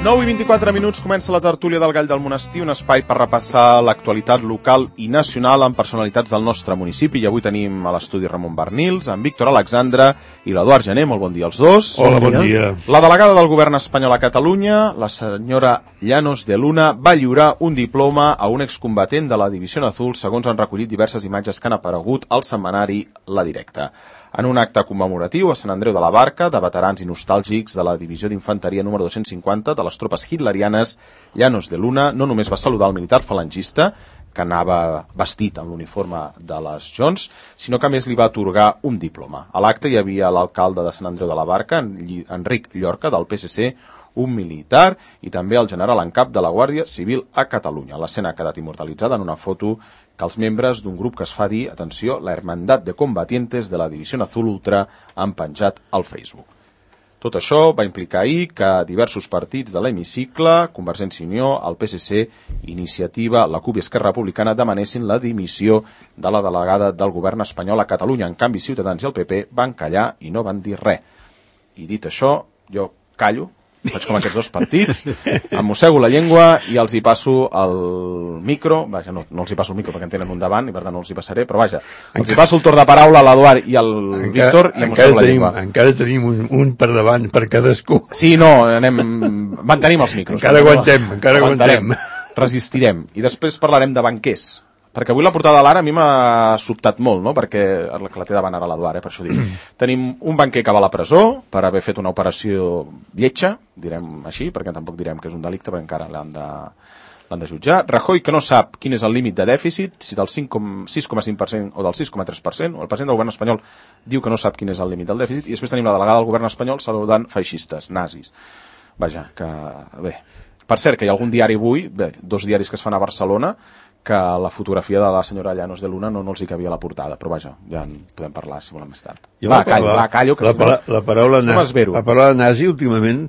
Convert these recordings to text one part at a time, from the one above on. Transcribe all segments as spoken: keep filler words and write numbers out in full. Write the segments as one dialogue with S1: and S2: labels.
S1: nou i vint-i-quatre minuts comença la tertúlia del Gall del Monestir, un espai per repassar l'actualitat local i nacional amb personalitats del nostre municipi. I avui tenim a l'estudi Ramon Bernils, en Víctor Alexandre i l'Eduard Gené. Molt bon dia als dos.
S2: Hola, bon dia.
S1: La delegada del govern espanyol a Catalunya, la senyora Llanos de Luna, va lliurar un diploma a un excombatent de la Divisió Azul, segons han recollit diverses imatges que han aparegut al setmanari La Directa. En un acte commemoratiu a Sant Andreu de la Barca, de veterans i nostàlgics de la Divisió d'Infanteria número dos-cents cinquanta de les tropes hitlerianes, Llanos de Luna no només va saludar el militar falangista, que anava vestit amb l'uniforme de les Jones, sinó que a més li va atorgar un diploma. A l'acte hi havia l'alcalde de Sant Andreu de la Barca, Enric Llorca, del P S C, un militar i també el general en cap de la Guàrdia Civil a Catalunya. L'escena ha quedat immortalitzada en una foto que els membres d'un grup que es fa dir, atenció, la Hermandad de Combatientes de la Divisió Azul Ultra han penjat al Facebook. Tot això va implicar ahir que diversos partits de l'hemicicle, Convergència i Unió, el P S C, Iniciativa, la CUP i Esquerra Republicana demanessin la dimissió de la delegada del govern espanyol a Catalunya. En canvi, Ciutadans i el P P van callar i no van dir res. I dit això, jo callo, faig com aquests dos partits, em mossego la llengua i els hi passo el micro, vaja, no, no els hi passo el micro perquè en tenen un davant i per tant no els hi passaré, però vaja, els hi passo el torn de paraula a l'Eduard i al encara, Víctor i em mossego la
S2: tenim,
S1: llengua.
S2: Encara tenim un, un per davant per cadascú.
S1: Sí, no, anem, mantenim els micros.
S2: Encara aguantem, encara aguantem.
S1: Resistirem. I després parlarem de banquers. Perquè avui la portada de l'Ara a mi m'ha sobtat molt, no? Perquè la que la té davant ara l'Eduard, eh? Per això dic. Tenim un banquer que va a la presó per haver fet una operació lletja, direm així, perquè tampoc direm que és un delicte, perquè encara l'han de, l'han de jutjar. Rajoy, que no sap quin és el límit de dèficit, si del sis coma cinc per cent o del sis coma tres per cent, o el president del govern espanyol diu que no sap quin és el límit del dèficit, i després tenim la delegada del govern espanyol saludant feixistes, nazis. Vaja, que bé. Per cert, que hi ha algun diari avui, bé, dos diaris que es fan a Barcelona, que la fotografia de la senyora Llanos de Luna no, no els hi cabia a la portada, però vaja, ja en podem parlar si volem més tard.
S2: Jo
S1: va, callo, va, callo, que
S2: la, la, la, paraula
S1: no
S2: nazi, la paraula nazi últimament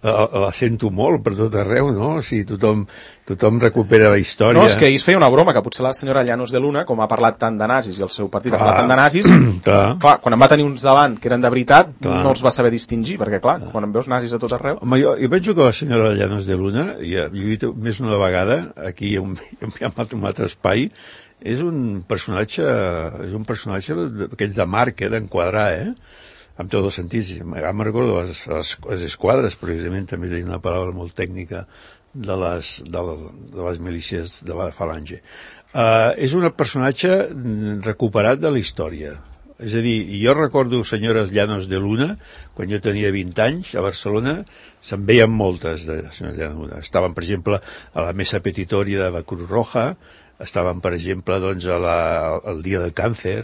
S2: la, la sento molt per tot arreu, no? O sigui, tothom, tothom recupera la història.
S1: No, és que ahir es feia una broma, que potser la senyora Llanos de Luna, com ha parlat tant de nazis i el seu partit ha parlat tant de nazis, clar. clar, quan en va tenir uns davant que eren de veritat, clar. no els va saber distingir, perquè clar, clar. quan en veus nazis a tot arreu...
S2: Home, jo, jo penso que la senyora Llanos de Luna, ja, jo he dit més una vegada, aquí en un altre espai, és un personatge, és un personatge d'aquells de marca, d'enquadrar, eh? Amb tots els sentits. Ja me'n recordo les, les, les esquadres, precisament, també tenia una paraula molt tècnica de les, de, de les milícies de la falange. Uh, és un personatge recuperat de la història. És a dir, jo recordo senyores Llanos de Luna, quan jo tenia vint anys, a Barcelona, se'n veien moltes de senyores Llanos de Luna. Estaven, per exemple, a la mesa petitoria de la Cruz Roja, estaven, per exemple, doncs, a la, al dia del càncer,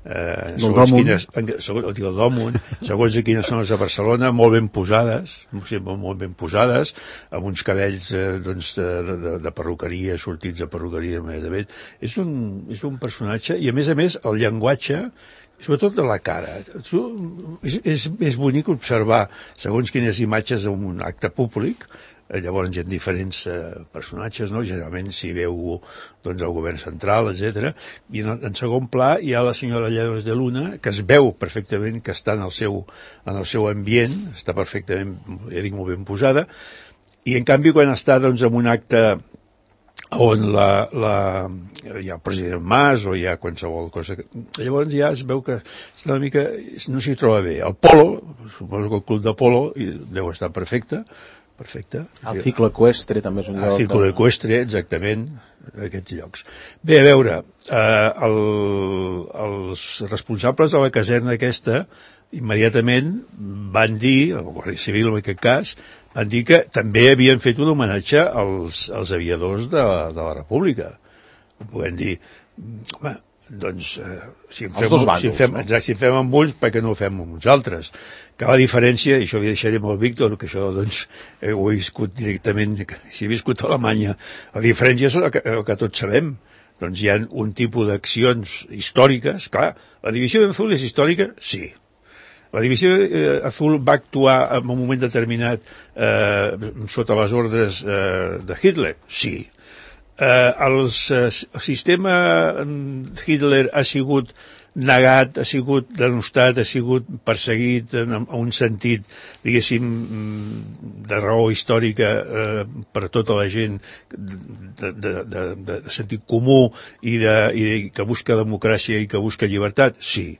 S2: Eh, segons quines, segons, el Dòmun, segons quines zones de Barcelona, molt ben posades, sempre molt ben posades, amb uns cabells eh, doncs, de, de, de perruqueria, sortits de perruqueria, immediatament. És un, és un personatge, i a més a més, el llenguatge, sobretot de la cara. És, és, és bonic observar, segons quines imatges en un acte públic, llavors hi ha diferents eh, personatges, no? Generalment s'hi veu doncs, el govern central, etcètera. I en, en segon pla hi ha la senyora Llanos de Luna, que es veu perfectament que està en el seu, en el seu ambient, està perfectament, ja dic, molt ben posada, i en canvi quan està doncs, en un acte on la, la, hi ha el president Mas o hi ha qualsevol cosa, llavors ja es veu que és una mica, no s'hi troba bé. El polo, suposo que el club de polo deu estar perfecte, perfecte.
S1: El ciclo equestre també és un lloc.
S2: El ciclo equestre, exactament, aquests llocs. Bé, a veure, eh, el, els responsables de la caserna aquesta immediatament van dir, el Guàrdia Civil en aquest cas, van dir que també havien fet un homenatge als, als aviadors de, de la República. Podem dir, home, doncs, eh, si, en fem,
S1: bàndols,
S2: si, en fem,
S1: no?
S2: exacte, si en fem amb uns, per què no ho fem amb uns altres? Que la diferència, i això ho deixaré amb el Víctor, que això doncs, eh, ho he viscut directament, si he viscut a Alemanya, la diferència és el que, el que tots sabem. Doncs hi ha un tipus d'accions històriques, clar, la Divisió Azul és històrica? Sí. La Divisió eh, Azul va actuar en un moment determinat eh, sota les ordres eh, de Hitler? Sí. Eh, els, eh, el sistema Hitler ha sigut negat, ha sigut denostat, ha sigut perseguit en, en un sentit, diguéssim, de raó històrica eh, per tota la gent de, de, de, de sentit comú i, de, i de, que busca democràcia i que busca llibertat? Sí.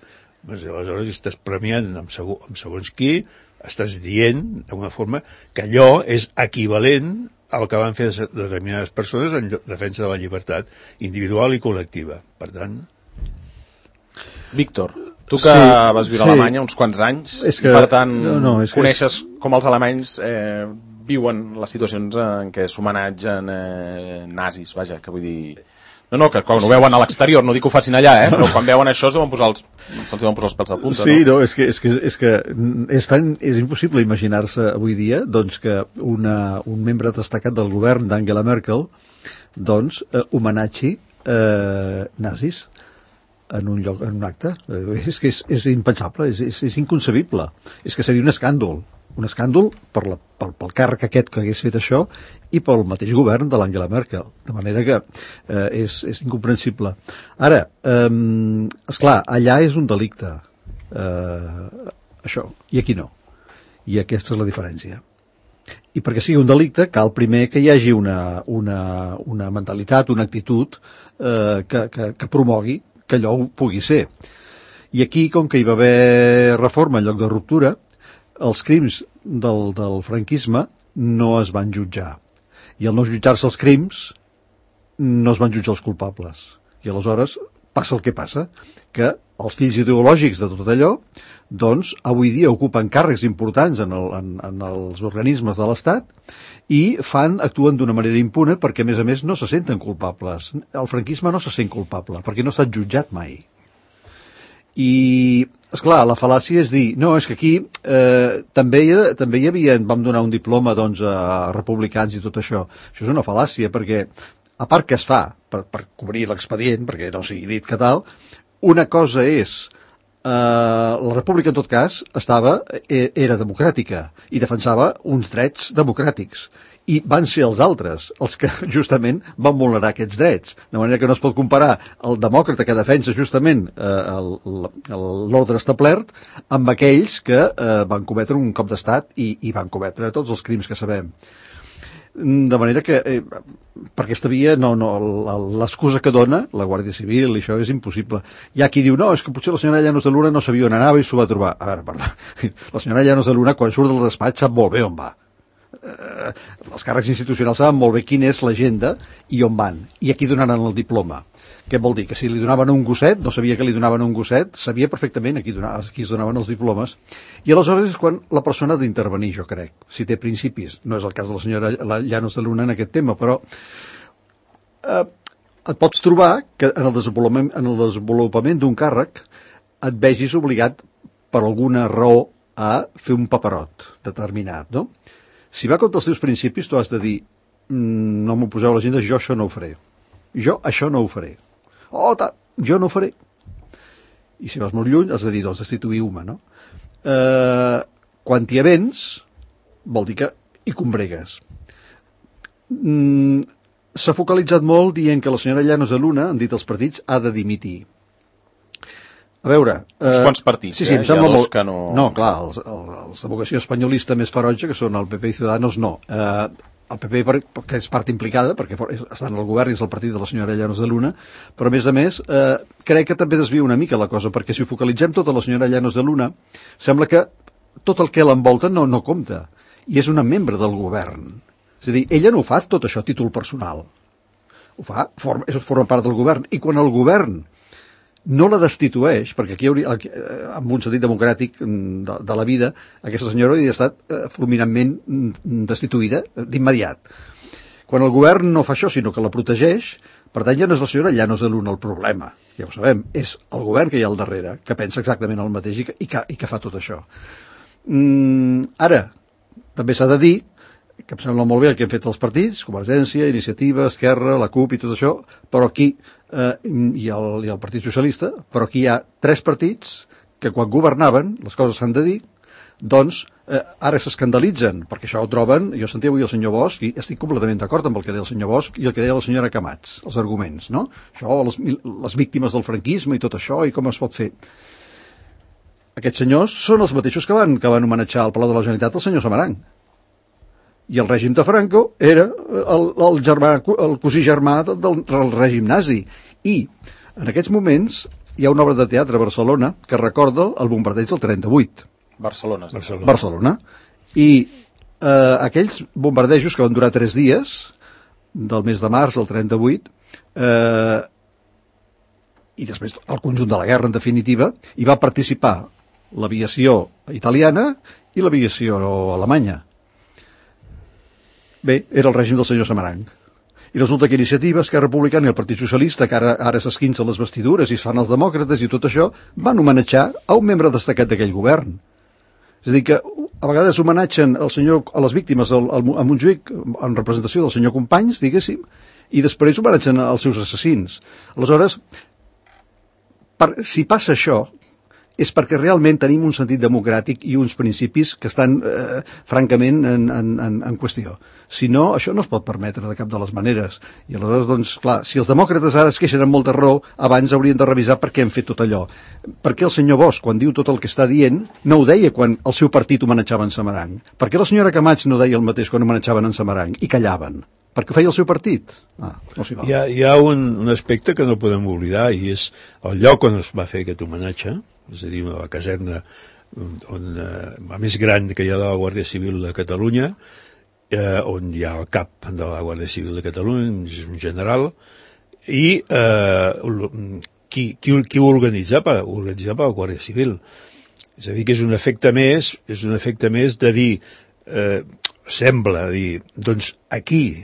S2: Aleshores estàs premiant amb, segon, amb segons qui, estàs dient d'alguna forma que allò és equivalent al que van fer determinades persones en defensa de la llibertat individual i col·lectiva. Per tant...
S1: Víctor, tu que sí, vas viure sí. a Alemanya uns quants anys, és que, i per tant no, no, és coneixes és... com els alemanys eh, viuen les situacions en què s'homenatgen eh, nazis, vaja, que vull dir... No, no, que quan ho veuen a l'exterior, no dic que ho facin allà, eh, però quan veuen això se'ls van posar els, se'ls van posar els pèls de punta,
S3: sí, no? no, és que, és que, és que és, tan, és impossible imaginar-se avui dia doncs, que una, un membre destacat del govern d'Angela Merkel doncs, eh, homenatgi eh, nazis en un lloc, en un acte. Eh, és que és, és impensable, és, és, és inconcebible. És que seria un escàndol. Un escàndol per la, pel, pel càrrec aquest que hagués fet això i pel mateix govern de l'Angela Merkel. De manera que eh, és, és incomprensible. Ara, eh, esclar, allà és un delicte, eh, això, i aquí no. I aquesta és la diferència. I perquè sigui un delicte cal primer que hi hagi una, una, una mentalitat, una actitud eh, que, que, que promogui que allò ho pugui ser. I aquí, com que hi va haver reforma en lloc de ruptura, els crims del, del franquisme no es van jutjar. I al no jutjar-se els crims, no es van jutjar els culpables. I aleshores passa el que passa, que els fills ideològics de tot allò, doncs, avui dia ocupen càrrecs importants en, el, en, en els organismes de l'Estat i fan, actuen d'una manera impune perquè, a més a més, no se senten culpables. El franquisme no se sent culpable, perquè no ha estat jutjat mai. I, esclar, la fal·làcia és dir, no, és que aquí eh, també, hi, també hi havia, vam donar un diploma doncs, a republicans i tot això. Això és una fal·làcia, perquè, a part que es fa per, per cobrir l'expedient, perquè no sigui dit que tal, una cosa és, eh, la república en tot cas estava, era democràtica i defensava uns drets democràtics. I van ser els altres els que justament van vulnerar aquests drets. De manera que no es pot comparar el demòcrata que defensa justament eh, l'ordre establert amb aquells que eh, van cometre un cop d'estat i, i van cometre tots els crims que sabem. De manera que eh, per aquesta via no, no, l'excusa que dona la Guàrdia Civil i això és impossible. Hi ha qui diu, no, és que potser la senyora Llanos de Luna no sabia on anava i s'ho va trobar. A veure, perdó, la senyora Llanos de Luna quan surt del despatx sap molt bé on va. Eh, els càrrecs institucionals saben molt bé quina és l'agenda i on van, i aquí donaran el diploma. Què vol dir? Que si li donaven un gosset, no sabia que li donaven un gosset, sabia perfectament a qui, donava, a qui es donaven els diplomes, i aleshores és quan la persona ha d'intervenir, jo crec, si té principis. No és el cas de la senyora Llanos de Luna en aquest tema, però eh, et pots trobar que en el desenvolupament, en el desenvolupament d'un càrrec et vegis obligat per alguna raó a fer un paperot determinat, no? Si va contra els teus principis, tu has de dir mmm, no m'ho poseu a l'agenda, jo això no ho faré. Jo això no ho faré. Oh, ta, jo no ho faré. I si vas molt lluny, has de dir, doncs, destituïu-me, no? Eh, quan t'hi avens, vol dir que hi combregues. Mm, s'ha focalitzat molt dient que la senyora Llanos de Luna, han dit els partits, ha de dimitir. A veure...
S1: Eh, Uns quants partits,
S3: sí, sí,
S1: eh?
S3: Em sembla molt...
S1: que no...
S3: No, clar, els, els, els de vocació espanyolista més ferotge, que són el P P i Ciudadanos, no. Eh, el P P, perquè és part implicada, perquè estan al govern i és el partit de la senyora Llanos de Luna, però a més a més, eh, crec que també desvia una mica la cosa, perquè si ho focalitzem tot a la senyora Llanos de Luna, sembla que tot el que l'envolta no, no compta, i és una membre del govern. És a dir, ella no ho fa tot això a títol personal. Ho fa, forma, és, forma part del govern, i quan el govern no la destitueix, perquè aquí hauria, amb un sentit democràtic de, de la vida, aquesta senyora hauria estat eh, fulminantment destituïda d'immediat. Quan el govern no fa això, sinó que la protegeix, per tant ja no és la senyora Llanos de Luna el problema, ja ho sabem, és el govern que hi ha al darrere, que pensa exactament el mateix i que, i que, i que fa tot això. Mm, ara, també s'ha de dir, que em sembla molt bé el que han fet els partits, Convergència, Iniciativa, Esquerra, la CUP i tot això, però aquí, eh, i, el, i el Partit Socialista, però aquí hi ha tres partits que quan governaven, les coses s'han de dir, doncs eh, ara s'escandalitzen, perquè això ho troben, jo sentia avui el senyor Bosch, i estic completament d'acord amb el que deia el senyor Bosch i el que deia la senyora Camats, els arguments, no? Això, les, les víctimes del franquisme i tot això, i com es pot fer. Aquests senyors són els mateixos que van, que van homenatjar al Palau de la Generalitat el senyor Samaranch. I el règim de Franco era el, el, germà, el cosí germà del, del règim nazi. I en aquests moments hi ha una obra de teatre a Barcelona que recorda el bombardeig del trenta-vuit.
S1: Barcelona.
S3: Barcelona. Barcelona. I eh, aquells bombardejos que van durar tres dies, del mes de març del trenta-vuit, eh, i després el conjunt de la guerra, en definitiva, hi va participar l'aviació italiana i l'aviació alemanya. Bé, era el règim del senyor Samaranch. I resulta que Iniciativa, Esquerra Republicana i el Partit Socialista, que ara, ara s'esquincen les vestidures i es fan els demòcrates i tot això, van homenatjar a un membre destacat d'aquell govern. És a dir, que a vegades homenatgen el senyor, a les víctimes al, al, a Montjuïc en representació del senyor Companys, diguéssim, i després homenatgen als seus assassins. Aleshores, per, si passa això, és perquè realment tenim un sentit democràtic i uns principis que estan, eh, francament, en, en, en qüestió. Si no, això no es pot permetre de cap de les maneres. I aleshores, doncs, clar, si els demòcrates ara es queixen amb molta raó, abans haurien de revisar per què han fet tot allò. Per què el senyor Bosch, quan diu tot el que està dient, no ho deia quan el seu partit homenatjava en Samaranch? Per què la senyora Camats no deia el mateix quan homenatjaven en Samaranch i callaven? Perquè feia el seu partit? Ah, no s'hi val.
S2: Hi ha, hi ha un, un aspecte que no podem oblidar, i és el lloc on es va fer aquest homenatge, és a dir, la caserna on, eh, la més gran que hi ha de la Guàrdia Civil de Catalunya, eh, on hi ha el cap de la Guàrdia Civil de Catalunya, és un general, i eh, qui, qui, qui ho organitzava? Ho organitzava la Guàrdia Civil. És a dir, que és un efecte més, és un efecte més de dir, eh, sembla dir, doncs aquí,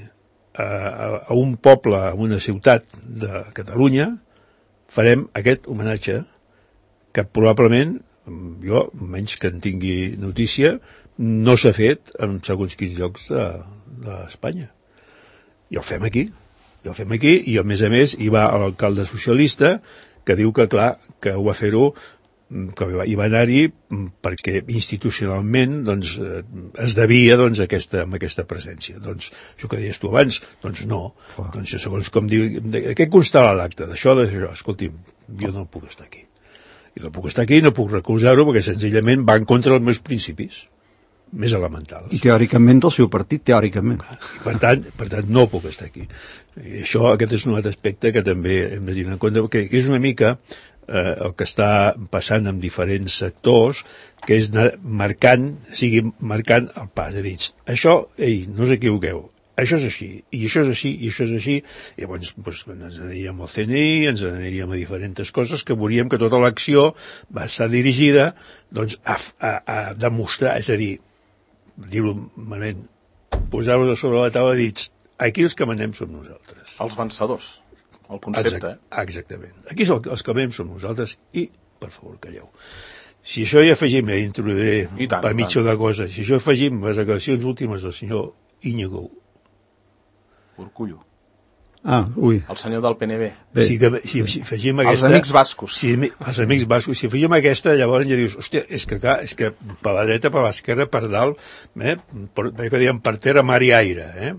S2: a, a un poble, a una ciutat de Catalunya, farem aquest homenatge que probablement, jo, menys que en tingui notícia, no s'ha fet en segons quins llocs d'Espanya. I el fem aquí. I el fem aquí, i a més a més hi va l'alcalde socialista que diu que, clar, que ho va fer-ho, que hi va anar-hi perquè institucionalment doncs, es devia doncs, aquesta, amb aquesta presència. Doncs això que deies tu abans, doncs no. Oh. Doncs segons com diu, què constarà l'acte d'això, d'això? Escolti'm, jo no puc estar aquí. I no puc estar aquí, no puc recolzar-ho perquè senzillament va en contra dels meus principis més elementals.
S3: I teòricament del seu partit, teòricament.
S2: I per tant, per tant, no puc estar aquí. I això, aquest és un altre aspecte que també hem de tenir en compte, que és una mica eh, el que està passant amb diferents sectors, que és anar marcant, sigui marcant el pas. És a dir, això, ei, no us equivoqueu, això és així, i això és així, i això és així, i llavors doncs, ens aniríem al C N I, ens aniríem a diferents coses que veuríem que tota l'acció va estar dirigida doncs, a, a, a demostrar, és a dir, dir-ho malament, posar-vos a sobre la taula i dir, aquí els que manem som nosaltres.
S1: Els vencedors, el concepte.
S2: Exact, exactament. Aquí els que manem som nosaltres i, per favor, calleu. Si això hi afegim, ja introduiré
S1: tant,
S2: per mitja una cosa, si això afegim les declaracions últimes del senyor Íñigo
S1: Urkullu.
S3: Ah, ui.
S1: El senyor del P N B.
S2: Bé. Si, si, si afegim aquesta...
S1: Els amics bascos.
S2: Si, els amics bascos. Si afegim aquesta, llavors ja dius, hòstia, és que clar, és que per la dreta, per l'esquerra, per dalt, eh, per, que diem per terra, mar i aire, eh?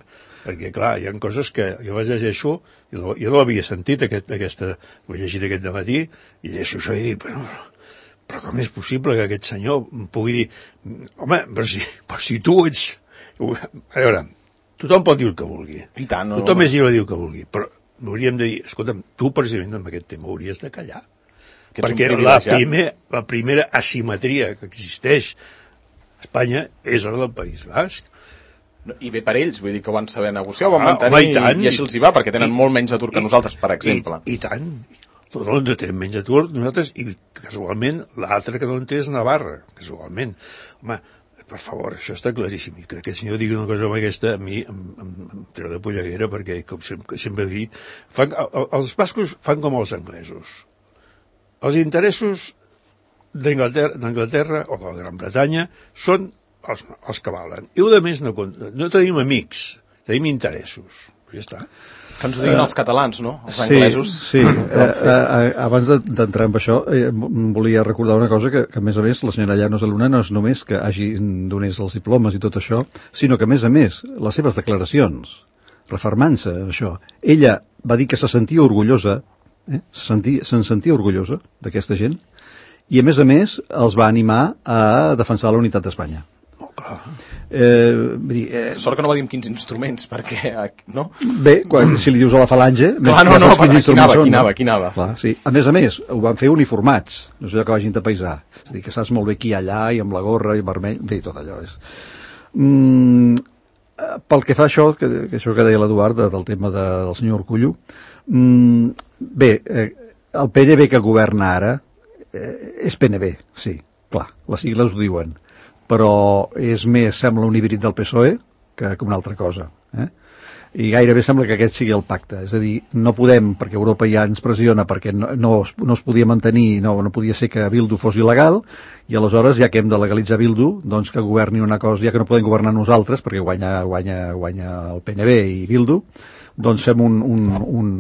S2: Perquè, clar, hi ha coses que jo vaig llegeixo, jo no, jo no l'havia sentit, aquest, aquesta, ho he llegit aquest dematí, i llegeixo això i dic, però, però com és possible que aquest senyor pugui dir, home, però si, però si tu ets... A veure, tothom pot dir el que vulgui.
S1: I tant, no,
S2: tothom
S1: no,
S2: és lliure de dir el que vulgui, però hauríem de dir, escolta'm, tu precisament amb aquest tema hauries de callar. Que perquè la, primer, la primera asimetria que existeix a Espanya és la del País Basc.
S1: I bé per ells, vull dir que ho van saber negociar, ho van
S2: ah,
S1: mantenir i,
S2: i,
S1: i així els hi va, perquè tenen I, molt menys atur que i, nosaltres, per exemple.
S2: I, i tant, no en tenen menys atur nosaltres, i casualment l'altre que no en té és Navarra, casualment. Home, per favor, això està claríssim. I que aquest senyor digui una cosa com aquesta, a mi em, em, em treu de polleguera, perquè, com sempre, sempre he dit, fan, els bascos fan com els anglesos. Els interessos d'Anglaterra o de la Gran Bretanya són els, els que valen. I a més no, no tenim amics, tenim interessos. ja està.
S1: Que ens ho diguin uh, els catalans, no? Els
S3: sí,
S1: anglesos.
S3: Sí, eh, eh, abans d'entrar en això, eh, volia recordar una cosa, que, que a més a més la senyora Llanos de Luna no és només que hagi donés els diplomes i tot això, sinó que a més a més les seves declaracions, refermant-se això, ella va dir que se sentia orgullosa, eh, se'n sentia, se sentia orgullosa d'aquesta gent, i a més a més els va animar a defensar la unitat d'Espanya.
S2: Oh, clar.
S1: Eh, dir, eh, sort que no va dir amb quins instruments, perquè, no?
S3: Bé, quan, si li dius a la falange...
S1: Clar, no, no, per aquí anava, aquí anava, aquí anava.
S3: Clar, sí. A més a més, ho van fer uniformats, no és allò que vagin de paisà. És a dir, que saps molt bé qui hi ha allà, i amb la gorra, i vermell, bé, tot allò és... Mm, pel que fa a això, que, que això que deia l'Eduard, del tema de, del senyor Urkullu, mm, bé, eh, el P N B que governa ara eh, és P N B, sí, clar, les sigles ho diuen, però és més, sembla un híbrid del P S O E que, que una altra cosa, eh? I gairebé sembla que aquest sigui el pacte, és a dir, no podem, perquè Europa ja ens pressiona perquè no, no, es, no es podia mantenir, no, no podia ser que Bildu fos il·legal, i aleshores, ja que hem de legalitzar Bildu, doncs que governi una cosa, ja que no podem governar nosaltres, perquè guanya, guanya, guanya el P N B i Bildu, doncs fem un, un, un,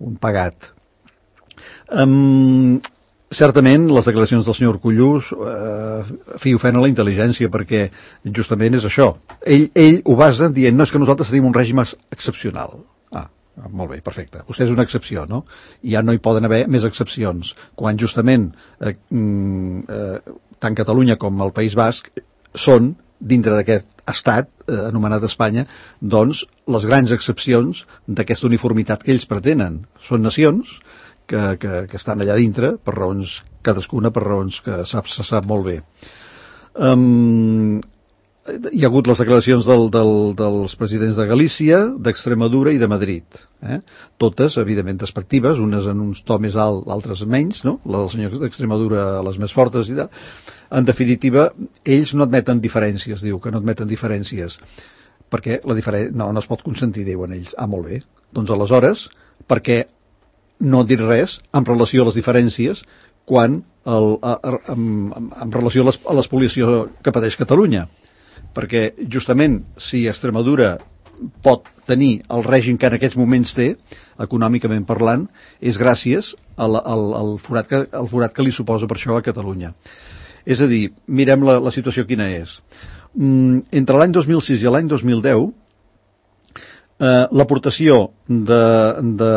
S3: un pagat. Um, certament les declaracions del senyor Urkullu eh, fi ofenen la intel·ligència, perquè justament és això, ell, ell ho basa dient, no, és que nosaltres tenim un règim excepcional. Ah, molt bé, perfecte, vostè és una excepció, no? I ja no hi poden haver més excepcions, quan justament eh, eh, tant Catalunya com el País Basc són, dintre d'aquest estat eh, anomenat Espanya, doncs les grans excepcions d'aquesta uniformitat que ells pretenen. Són nacions Que, que, que estan allà dintre per raons, cadascuna per raons que sap, se sap molt bé. Um, hi ha hagut les declaracions del, del, dels presidents de Galícia, d'Extremadura i de Madrid, eh? Totes evidentment despectives, unes en un to més alt, altres menys, no? La del senyor d'Extremadura les més fortes i tal. En definitiva, ells no admeten diferències, diu que no admeten diferències, perquè la diferència no, no es pot consentir, diuen ells. Ah, molt bé, doncs aleshores, perquè no dir res en relació a les diferències quan el, a, a, en, en relació a, les, a l'espoliació que pateix Catalunya, perquè justament si Extremadura pot tenir el règim que en aquests moments té, econòmicament parlant, és gràcies al, al, al, forat, que, al forat que li suposa per això a Catalunya. És a dir, mirem la, la situació quina és. Mm, entre l'any dos mil sis i l'any dos mil deu, Uh, l'aportació de, de,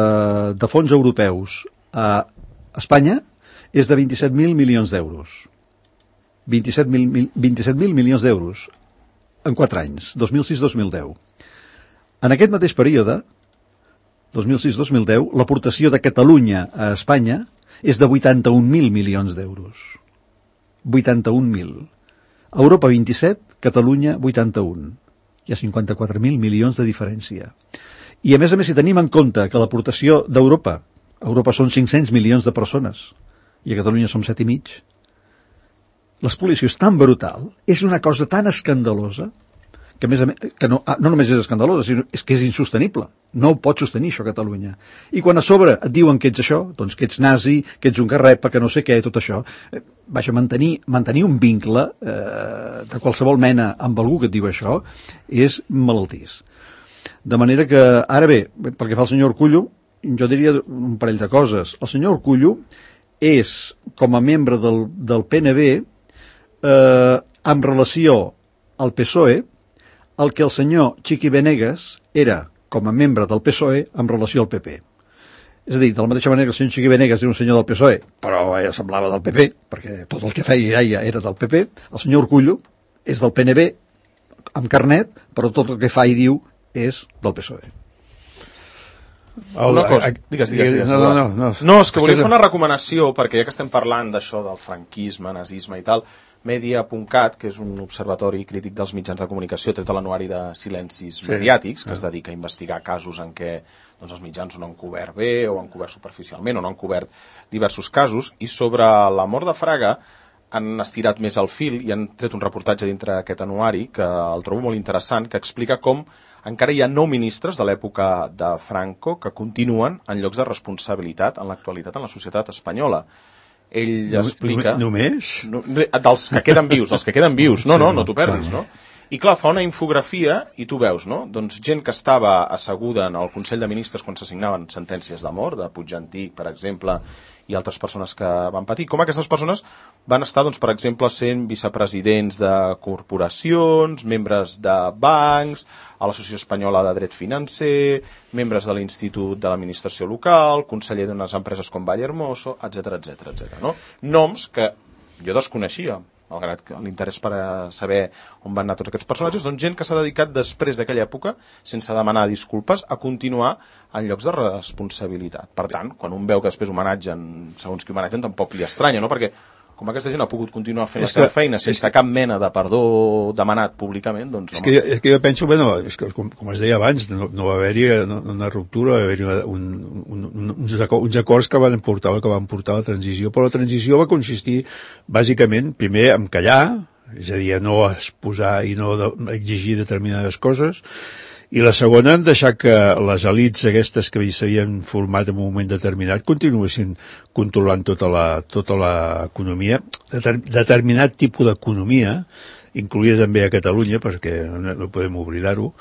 S3: de fons europeus a Espanya és de vint-i-set mil milions d'euros. vint-i-set mil milions d'euros en quatre anys, dos mil sis dos mil deu. En aquest mateix període, dos mil sis dos mil deu, l'aportació de Catalunya a Espanya és de vuitanta-un mil milions d'euros. vuitanta-un mil. Europa vint-i-set, Catalunya vuitanta-un. Hi ha cinquanta-quatre mil milions de diferència. I a més a més, si tenim en compte que l'aportació d'Europa, a Europa són cinc-cents milions de persones, i a Catalunya som set i mig, l'espoliació és tan brutal, és una cosa tan escandalosa, que, a més a més, que no, no només és escandalosa, sinó és que és insostenible. No ho pot sostenir, això, Catalunya. I quan a sobre et diuen que ets això, doncs que ets nazi, que ets un garrepa, que no sé què, tot això, eh, vaja, mantenir, mantenir un vincle eh, de qualsevol mena amb algú que et diu això és malaltís. De manera que, ara bé, pel que fa al senyor Urkullu, jo diria un parell de coses. El senyor Urkullu és, com a membre del, del P N B, eh, en relació al P S O E, el que el senyor Chiqui Benegas era, com a membre del P S O E, en relació al P P. És a dir, de la mateixa manera que el senyor Chiqui Benegas era un senyor del P S O E, però ella semblava del P P, perquè tot el que feia ella era del P P, el senyor Urkullu és del P N B, amb carnet, però tot el que fa i diu és del P S O E.
S1: Una cosa, digues, digues, digues.
S2: No, no, no, no.
S1: No, és que volia fer una recomanació, perquè ja que estem parlant d'això del franquisme, nazisme i tal, Media punt cat, que és un observatori crític dels mitjans de comunicació tret de l'anuari de silencis sí. mediàtics, que es dedica a investigar casos en què doncs, els mitjans no han cobert bé o han cobert superficialment o no han cobert diversos casos, i sobre la mort de Fraga han estirat més el fil i han tret un reportatge dintre aquest anuari que el trobo molt interessant, que explica com encara hi ha nou ministres de l'època de Franco que continuen en llocs de responsabilitat en l'actualitat en la societat espanyola. Ell explica...
S2: Només?
S1: No, dels que queden vius, els que queden vius. No, no, no t'ho perdis, no? I clar, fa una infografia i tu veus, no? Doncs gent que estava asseguda en el Consell de Ministres quan s'assignaven sentències de mort, de Puigdentí, per exemple, i altres persones que van patir, com aquestes persones van estar, doncs, per exemple, sent vicepresidents de corporacions, membres de bancs, a l'Associació Espanyola de Dret Financer, membres de l'Institut de l'Administració Local, conseller d'unes empreses com Vallehermoso, etcètera, etcètera, etcètera, no? Noms que jo desconeixia, malgrat que l'interès per saber on van anar tots aquests personatges, doncs gent que s'ha dedicat després d'aquella època, sense demanar disculpes, a continuar en llocs de responsabilitat. Per tant, quan un veu que després homenatgen, segons qui homenatgen, tampoc li estranya, no? Perquè com aquesta gent ha pogut continuar fent és la seva que, feina sense que, cap mena de perdó demanat públicament, doncs...
S2: És, que jo, és que jo penso, bueno, és que, com, com es deia abans, no, no va haver-hi una ruptura, va haver-hi un, un, un, uns, acords, uns acords que van portar que van portar a la transició, però la transició va consistir, bàsicament, primer en callar, és a dir, a no exposar i no de, exigir determinades coses, i la segona, en deixar que les elits aquestes que s'havien format en un moment determinat continuessin controlant tota la, tota l'economia, Deter, determinat tipus d'economia, incloïda també a Catalunya, perquè no, no podem oblidar-ho.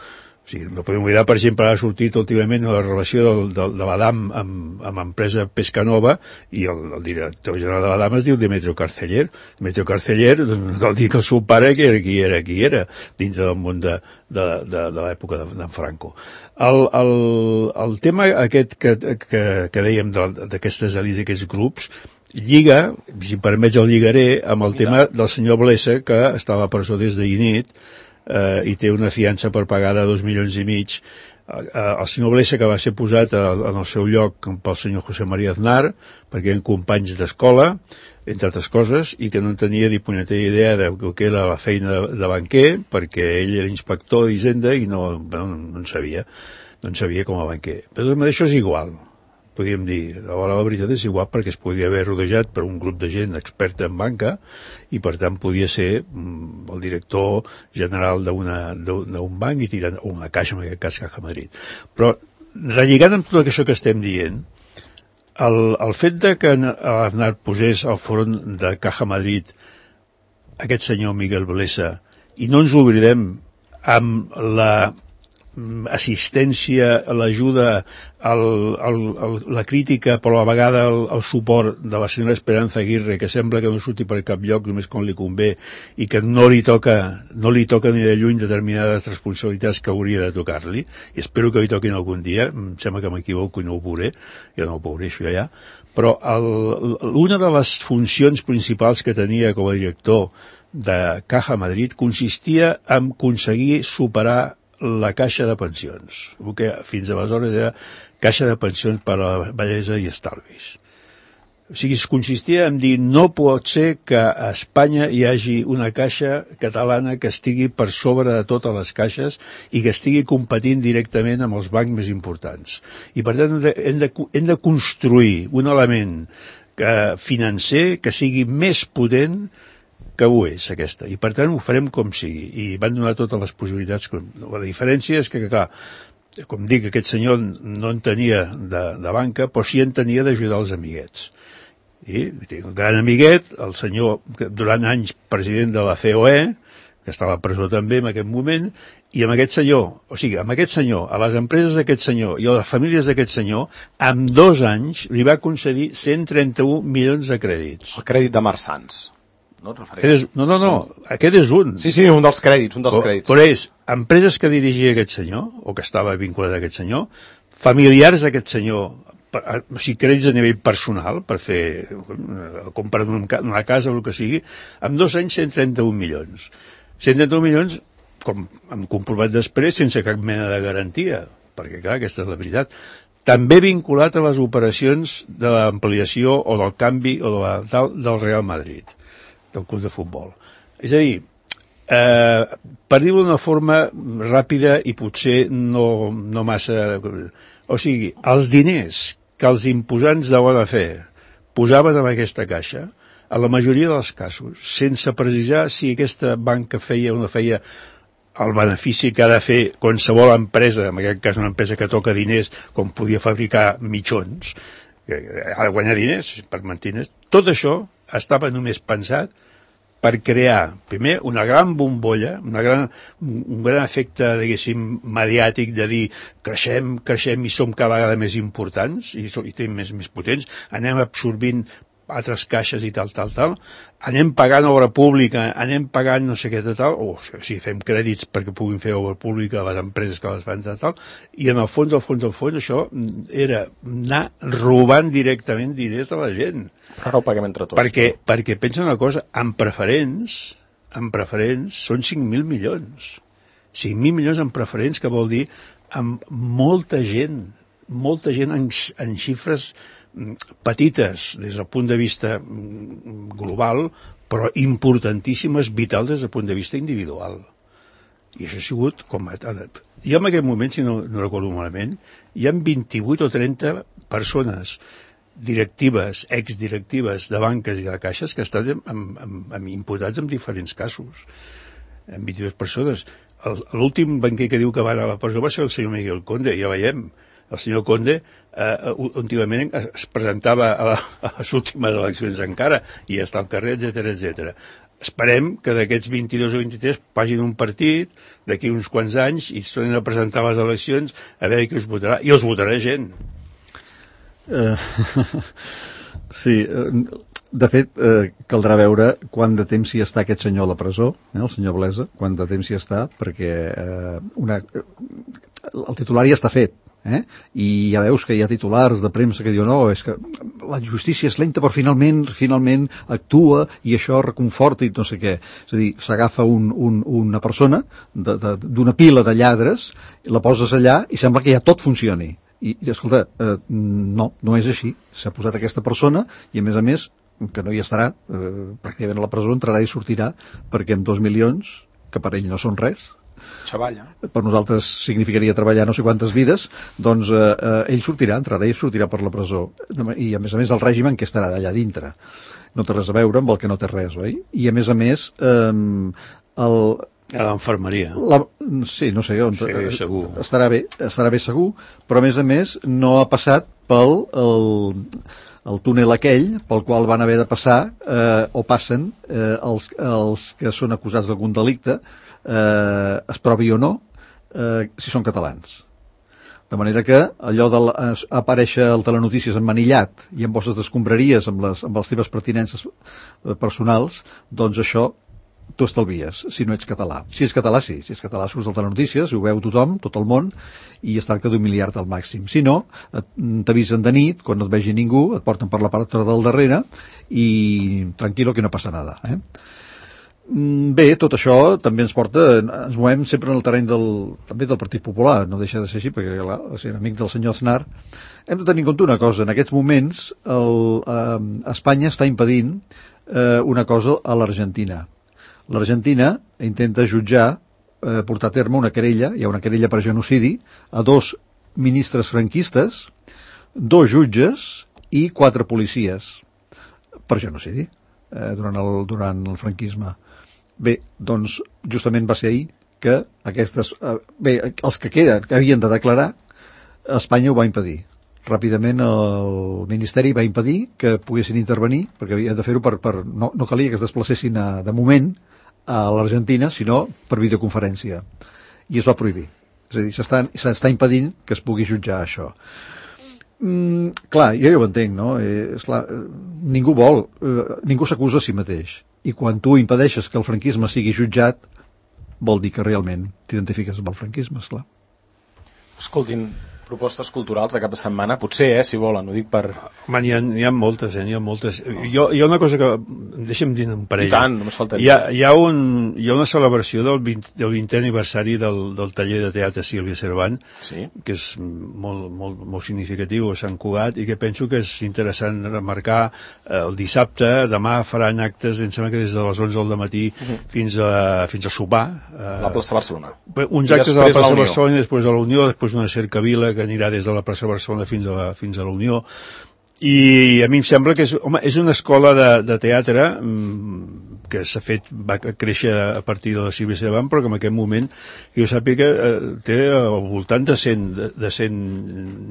S2: O sigui, no podem oblidar, per exemple, ha sortit últimament la relació del, del, de la D A M amb, amb l'empresa Pescanova i el, el director general de la D A M es diu Demetrio Carceller. Demetrio Carceller, doncs, cal dir que el seu pare que era qui era, qui era, dintre del món de, de, de, de l'època d'en Franco. El, el, el tema aquest que, que, que dèiem d'aquestes elits, d'aquests grups, lliga, si em permets el lligaré, amb el tema del senyor Blesa, que estava a presó des d'ahir nit, Uh, i té una fiança per pagar de dos milions i mig. Uh, uh, el senyor Blesa, que va ser posat a, en el seu lloc pel senyor José María Aznar, perquè eren companys d'escola, entre altres coses, i que no en tenia ni punyetera idea de què era la feina de, de banquer, perquè ell era inspector d'Hisenda i no, bueno, no en sabia, no en sabia com a banquer. Però tot això és igual, podríem dir. A la veritat és igual perquè es podia haver rodejat per un grup de gent experta en banca i per tant podia ser mm, el director general d'un banc i tirant una caixa, en aquest cas Caja Madrid. Però relligant amb tot això que estem dient, el, el fet de que Aznar posés al front de Caja Madrid aquest senyor Miguel Blesa, i no ens oblidem amb la assistència, l'ajuda, el, el, el, la crítica, però a la vegada el, el suport de la senyora Esperanza Aguirre, que sembla que no surti per cap lloc només quan li convé i que no li toca, no li toca ni de lluny determinades responsabilitats que hauria de tocar-li, i espero que li toquin algun dia, em sembla que m'equivoco i no ho veuré, jo no ho veuré això ja, però el, una de les funcions principals que tenia com a director de Caja Madrid consistia en aconseguir superar la caixa de pensions, el que fins aleshores era caixa de pensions per a la bellesa i estalvis. O sigui, es consistia en dir no pot ser que a Espanya hi hagi una caixa catalana que estigui per sobre de totes les caixes i que estigui competint directament amb els bancs més importants. I per tant hem de, hem de construir un element que, financer que sigui més potent que ho és, aquesta, i per tant ho farem com sigui, i van donar totes les possibilitats. La diferència és que, clar, com dic, aquest senyor no en tenia de, de banca, però sí en tenia d'ajudar els amiguets. I té un gran amiguet, el senyor, durant anys president de la C O E, que estava a presó també en aquest moment, i amb aquest senyor, o sigui, amb aquest senyor, a les empreses d'aquest senyor i a les famílies d'aquest senyor, en dos anys li va concedir cent trenta-un milions de crèdits.
S1: El crèdit de Marsans. No,
S2: és, no, no, no, aquest és un.
S1: Sí, sí, un dels crèdits, un dels crèdits.
S2: Però és empreses que dirigia aquest senyor, o que estava vinculat a aquest senyor, familiars d'aquest senyor, o sigui, crèdits a nivell personal, per fer, comprar una casa o el que sigui, amb dos anys cent trenta-un milions. cent trenta-un milions, com hem comprovat després, sense cap mena de garantia, perquè, clar, aquesta és la veritat. També vinculat a les operacions de l'ampliació o del canvi o de la, del, del Real Madrid, del club de futbol. És a dir, eh, per dir-ho d'una forma ràpida i potser no, no massa... O sigui, els diners que els imposants de bona fe posaven en aquesta caixa, a la majoria dels casos, sense precisar si aquesta banca feia o no feia el benefici que ha de fer qualsevol empresa, en aquest cas una empresa que toca diners, com podia fabricar mitjons, ha de guanyar diners per mantenir. Tot això estava només pensat per crear, primer, una gran bombolla, una gran, un gran efecte, diguéssim, mediàtic de dir creixem, creixem i som cada vegada més importants i, i tenim més, més potents, anem absorbint altres caixes i tal, tal, tal, anem pagant obra pública, anem pagant no sé què, tal, tal, o sigui, fem crèdits perquè puguin fer obra pública a les empreses que les fan, tal, tal, i en el fons, al fons, al fons, això era anar robant directament diners de la gent.
S1: Però ara ho paguem entre tots.
S2: Perquè, no? perquè pensa una cosa, en preferents, en preferents són cinc mil milions. cinc mil milions en preferents, que vol dir amb molta gent, molta gent en, en xifres petites des del punt de vista global, però importantíssimes, vital des del punt de vista individual. I això ha sigut com... I en aquest moment, si no, no recordo malament, hi ha vint-i-vuit o trenta persones directives, exdirectives de banques i de caixes que estan amb, amb, amb imputats en diferents casos. En vint-i-dues persones. L'últim banquer que diu que va anar a la presó va ser el senyor Miguel Conde, ja veiem. El senyor Conde eh, últimament es presentava a, la, a les últimes eleccions encara i està al carrer, etcètera, etcètera. Esperem que d'aquests vint-i-dos o vint-i-tres pagin un partit d'aquí uns quants anys i es tornin a presentar a les eleccions a veure qui us votarà. I els votarà gent.
S3: Uh, sí, de fet, eh, caldrà veure quant de temps hi està aquest senyor a la presó, eh, el senyor Blesa, quant de temps hi està, perquè eh, una, el titular ja està fet. Eh? I ja veus que hi ha titulars de premsa que diuen no, és que la justícia és lenta però finalment finalment actua i això reconforta i no sé què. És a dir, s'agafa un, un, una persona d'una pila de lladres, la poses allà i sembla que ja tot funcioni. I, i escolta, eh, no, no és així. S'ha posat aquesta persona i a més a més, que no hi estarà, eh, pràcticament a la presó entrarà i sortirà perquè amb dos milions, que per ell no són res,
S1: Xavalla.
S3: per nosaltres significaria treballar no sé quantes vides, doncs eh, eh, ell sortirà, entrarà i sortirà per la presó. I a més a més el règim en què estarà d'allà dintre. No té res a veure amb el que no té res, oi? I a més a més eh, el...
S2: A l'infermeria.
S3: La, sí, no sé on...
S2: Sí, segur.
S3: Estarà bé, estarà bé segur, però a més a més no ha passat pel... El, el túnel aquell pel qual van haver de passar eh, o passen eh, els, els que són acusats d'algun delicte eh, es provi o no eh, si són catalans. De manera que allò d'aparèixer al Telenotícies emmanillat i amb bosses d'escombraries amb les, amb les teves pertinences personals, doncs això t'ho estalvies, si no ets català. Si ets català, sí. Si ets català, surts al Telenotícies, ho veu tothom, tot el món, i es tracta d'humiliar-te al màxim. Si no, t'avisen de nit, quan no et vegi ningú, et porten per la part del darrere i tranquil·lo que no passa nada. Eh? Bé, tot això també ens porta, ens movem sempre en el terreny del, també del Partit Popular, no deixa de ser així, perquè clar, és amic del senyor Aznar. Hem de tenir en compte una cosa, en aquests moments el, eh, Espanya està impedint eh, una cosa a l'Argentina. L'Argentina intenta jutjar, eh, portar a terme una querella, hi ha una querella per genocidi, a dos ministres franquistes, dos jutges i quatre policies per genocidi eh, durant, el, durant el franquisme. Bé, doncs justament va ser ahir que aquestes... Eh, bé, els que queden, que havien de declarar, Espanya ho va impedir. Ràpidament el Ministeri va impedir que poguessin intervenir, perquè havia de fer-ho per... per no, no calia que es desplacessin a, de moment a l'Argentina, sinó per videoconferència. I es va prohibir. És a dir, s'està, s'està impedint que es pugui jutjar això. Mm, clar, jo ja ho entenc, no? Eh, esclar, ningú vol, eh, ningú s'acusa a si mateix. I quan tu impedeixes que el franquisme sigui jutjat, vol dir que realment t'identifiques amb el franquisme, esclar.
S1: Escoltin, propostes culturals de cap de setmana, potser, eh, si volen, ho dic per...
S2: Man, hi ha, hi ha moltes, eh, hi ha moltes. Jo, hi ha una cosa que... Deixa'm dir un parell.
S1: I tant, només faltaria.
S2: Hi ha, hi ha, un, hi ha una celebració del, vint, del vintè aniversari del, del taller de teatre Sílvia Cervant, sí, que és molt, molt, molt significatiu a Sant Cugat, i que penso que és interessant remarcar eh, el dissabte. Demà faran actes, em sembla que des de les onze del matí uh-huh. fins, a, fins a sopar. Eh,
S1: a la plaça Barcelona.
S2: Uns actes a la plaça Barcelona i després a la Unió, després una cercavila que anirà des de la plaça Barcelona fins a la, fins a la Unió. I a mi em sembla que és, home, és una escola de, de teatre mmm, que s'ha fet, va créixer a partir de la civilizació d'avant, però que en aquest moment, que jo sàpiga, eh, té al voltant de cent, de cent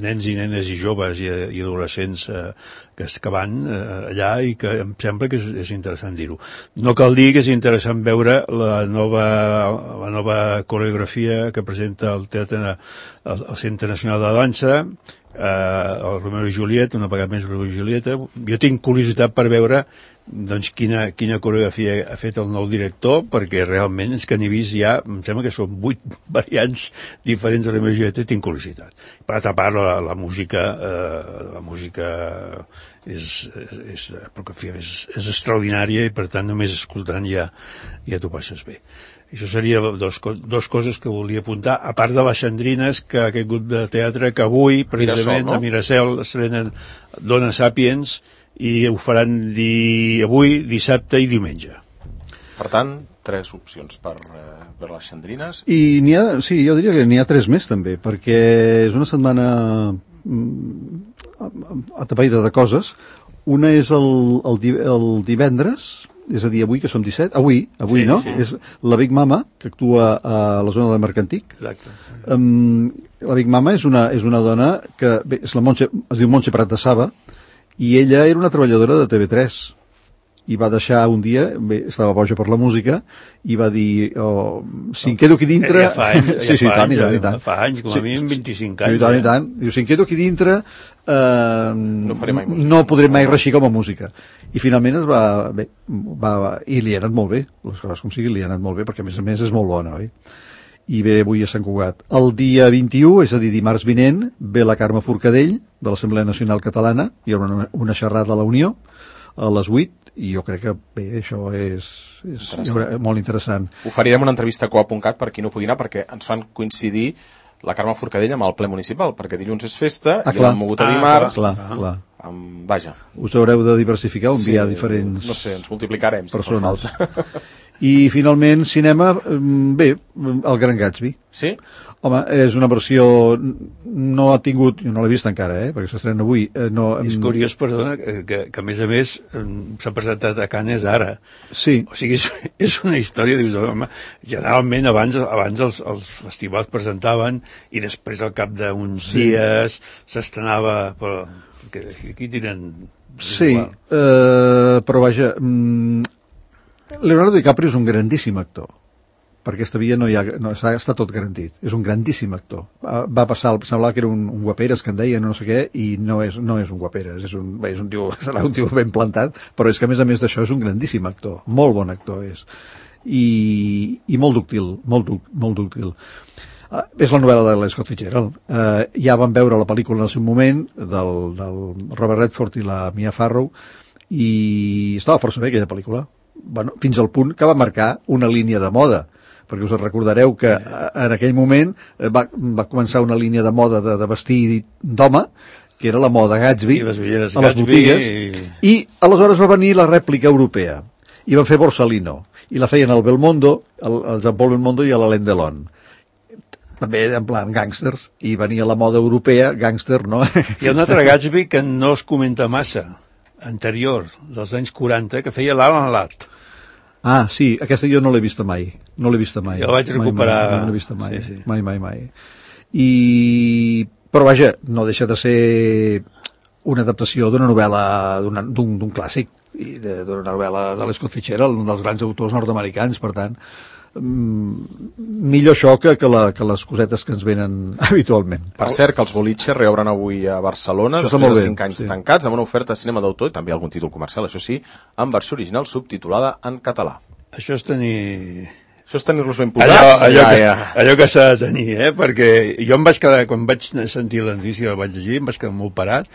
S2: nens i nenes i joves i, i adolescents eh, que, que van eh, allà, i que em sembla que és, és interessant dir-ho. No cal dir que és interessant veure la nova, la nova coreografia que presenta el Teatre, el, el Centre Nacional de Dansa, eh, el Romeo i Julieta, una vegada més Romeo i Julieta. Jo tinc curiositat per veure doncs quina, quina coreografia ha fet el nou director, perquè realment és que n'he vist ja, em sembla que són vuit variants diferents de Romeo i Julieta, i tinc curiositat. Per altra part, la, la música eh, la música és, és, és, és extraordinària, i per tant només escoltant ja, ja t'ho passes bé. Això seria dos, dos coses que volia apuntar, a part de les Xandrines, que aquest grup de teatre que avui, precisament, Mirasol, no? a Mirasol estrenen Dona Sapiens, i ho faran di... avui, dissabte i diumenge.
S1: Per tant, tres opcions per, eh, per les Xandrines.
S3: I n'hi ha, sí, jo diria que n'hi ha tres més també, perquè és una setmana mm, atapeïda de coses. Una és el, el, el divendres, és a dir, avui, que som disset, avui, avui sí, no? Sí. És la Big Mama, que actua a la zona del Mercantic.
S2: Exacte.
S3: Um, la Big Mama és una, és una dona que, bé, és la Montse, es diu Montse Prat de Saba, i ella era una treballadora de T V tres, i va deixar un dia, bé, estava boja per la música, i va dir, oh, si em quedo aquí dintre...
S2: Ja fa anys,
S3: sí, sí,
S2: ja fa
S3: tant,
S2: anys,
S3: i tant, i tant.
S2: fa anys, com a mínim vint-i-cinc anys.
S3: Sí, tant, i tant. Diu, si em quedo aquí dintre, eh,
S1: no, faré mai música.
S3: no podré mai reixir com a música. I finalment es va, bé, va, i li ha anat molt bé, les coses com sigui, li ha anat molt bé, perquè a més a més és molt bona, oi? I ve avui a Sant Cugat. El dia vint-i-u, és a dir, dimarts vinent, ve la Carme Forcadell, de l'Assemblea Nacional Catalana, hi haurà una, una xerrada a la Unió, a les vuit, i jo crec que, bé, això és, és haurà, molt interessant.
S1: Oferirem una entrevista a coa punt cat per qui no pugui anar, perquè ens fan coincidir la Carme Forcadell amb el ple municipal, perquè dilluns és festa, ah, i l'han mogut a dimarts.
S3: Ah, clar, ah, clar.
S1: Amb, vaja.
S3: Us haureu de diversificar, on
S1: sí,
S3: hi ha diferents...
S1: No sé, ens multiplicarem, si
S3: persones. I finalment, cinema, bé, el Gran Gatsby.
S1: Sí?
S3: Home, és una versió... No ha tingut... Jo no l'he vist encara, eh? Perquè s'estrena avui. Eh, no,
S2: és curiós, perdona, que, que, que a més a més s'ha presentat a Cannes ara.
S3: Sí.
S2: O sigui, és, és una història, dius, home, generalment abans, abans els, els festivals presentaven i després al cap d'uns sí. dies s'estrenava... Però que aquí tiren...
S3: Sí, eh, però vaja... Mm, Leonardo DiCaprio és un grandíssim actor, per aquesta via no hi ha, no, està tot garantit, és un grandíssim actor. Va passar, semblava que era un, un guaperes que en deien no sé què, i no és, no és un guaperes, és un, bé, és un tio, serà un tio ben plantat, però és que a més a més d'això és un grandíssim actor, molt bon actor és, i, i molt dúctil, molt, duc, molt dúctil. Uh, és la novel·la de l'Scott Fitzgerald. Uh, ja vam veure la pel·lícula en el seu moment, del, del Robert Redford i la Mia Farrow, i estava força bé aquella pel·lícula. Bueno, fins al punt que va marcar una línia de moda, perquè us recordareu que en aquell moment va, va començar una línia de moda de, de vestir d'home, que era la moda Gatsby, a les
S2: Gatsby,
S3: botigues, i... i aleshores va venir la rèplica europea, i van fer Borsalino, i la feien al Belmondo, el, el Jean-Paul Belmondo i a l'Alain Delon. També en plan gàngsters, i venia la moda europea, gàngster, no?
S2: Hi ha un altre Gatsby que no es comenta massa, anterior, dels anys quaranta, que feia l'Alan Ladd.
S3: Ah, sí, aquesta jo no l'he vista mai. No l'he vista mai.
S2: Jo la vaig recuperar.
S3: Mai, mai, no l'he vista mai.
S2: Sí, sí.
S3: Mai, mai, mai. I... Però vaja, no deixa de ser una adaptació d'una novel·la, d'un clàssic, i d'una novel·la de l'Scott Fitzgerald, un dels grans autors nord-americans, per tant, millor això que, que, la, que les cosetes que ens venen habitualment.
S1: Per cert, que els boliches reobren avui a Barcelona,
S3: això
S1: després de cinc anys sí. tancats, amb una oferta de cinema d'autor i també algun títol comercial, això sí, en versió original subtitulada en català.
S2: Això és tenir...
S1: Això és tenir-los ben posats.
S2: Allò, allò,
S1: ja,
S2: que,
S1: ja.
S2: allò que s'ha de tenir, eh? Perquè jo em vaig quedar, quan vaig sentir la notícia, el vaig llegir, em vaig quedar molt parat.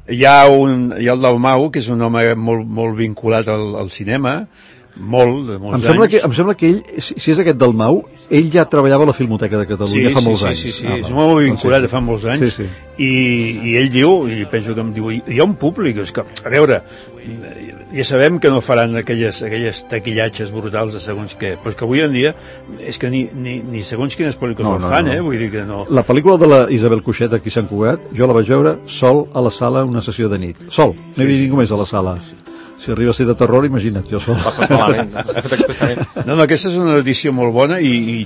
S2: Hi ha, un, hi ha el Dalmau, que és un home molt, molt vinculat al, al cinema, molt, de molts
S3: em sembla
S2: anys.
S3: Que, em sembla que ell, si, si és aquest del Mau, ell ja treballava a la Filmoteca de Catalunya
S2: sí,
S3: fa
S2: sí,
S3: molts
S2: sí,
S3: anys.
S2: Sí, sí, sí,
S3: ah,
S2: és molt vinculat
S3: sí, sí.
S2: fa molts anys.
S3: Sí, sí.
S2: I, I ell diu, i penso que em diu, hi ha un públic, és que, a veure, ja sabem que no faran aquelles, aquelles taquillatges brutals de segons què, però és que avui en dia és que ni, ni, ni segons quines pel·lícules no, no, fan, no. eh? Vull dir que no...
S3: La pel·lícula de la Isabel Cuixet aquí a Sant Cugat, jo la vaig veure sol a la sala una sessió de nit. Sol, no hi havia sí, ningú més a la sala. Sí, sí. Si arriba a ser de terror, imagina't, jo sol.
S1: Passes malament, s'ha fet expressament.
S2: No, no, aquesta és una edició molt bona i, i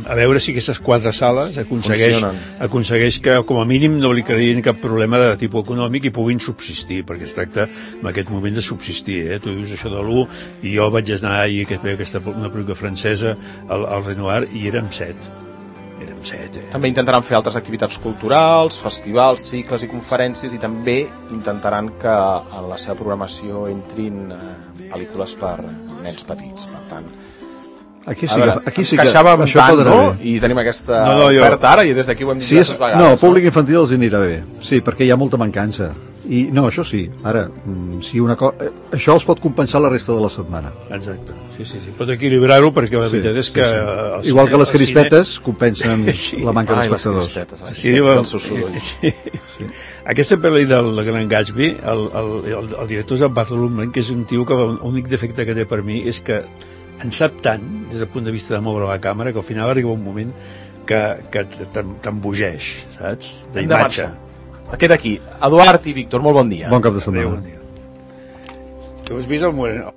S2: a veure si aquestes quatre sales aconsegueix, aconsegueix que com a mínim no li creïn cap problema de tipus econòmic i puguin subsistir, perquè es tracta en aquest moment de subsistir, eh? Tu dius això de l'u i jo vaig anar ahir, que es veu aquesta una pel·lícula francesa al, al Renoir i érem set. Érem set, eh?
S1: També intentaran fer altres activitats culturals, festivals, cicles i conferències, i també intentaran que en la seva programació entrin eh, pel·lícules per nens petits. Per tant,
S3: aquí sí,
S1: veure,
S3: aquí sí que
S1: queixàvem
S3: això
S1: tant,
S3: podrà
S1: no?
S3: bé.
S1: I tenim aquesta
S2: no, no, jo...
S1: oferta ara, i des d'aquí ho hem dit
S3: sí, és,
S1: diverses vegades.
S3: no, el públic infantil els anirà bé. Sí, perquè hi ha molta mancança. I no, això sí, ara, si una co... això els pot compensar la resta de la setmana.
S2: Exacte, sí, sí, sí. Pot equilibrar-ho perquè la
S3: sí,
S2: veritat és
S3: sí,
S2: que...
S3: Sí. Igual que les crispetes cine... compensen
S2: sí.
S3: la manca
S1: Ai,
S3: d'espectadors.
S1: Sí,
S2: sí,
S1: el
S2: sí,
S1: seu soroll.
S2: sí. Sí. Aquesta pel·li del Gran Gatsby, el, el, el, el director és el Baz Luhrmann, que és un tio que l'únic defecte que té per mi és que en sap tant, des del punt de vista de moure la càmera, que al final arriba un moment que, que t'embogeix, saps? D'imatge.
S1: Queda aquí. Eduard i Víctor, molt bon dia.
S3: Bon cap de setmana.
S2: Adéu, bon dia. Tu has vist el Moreno?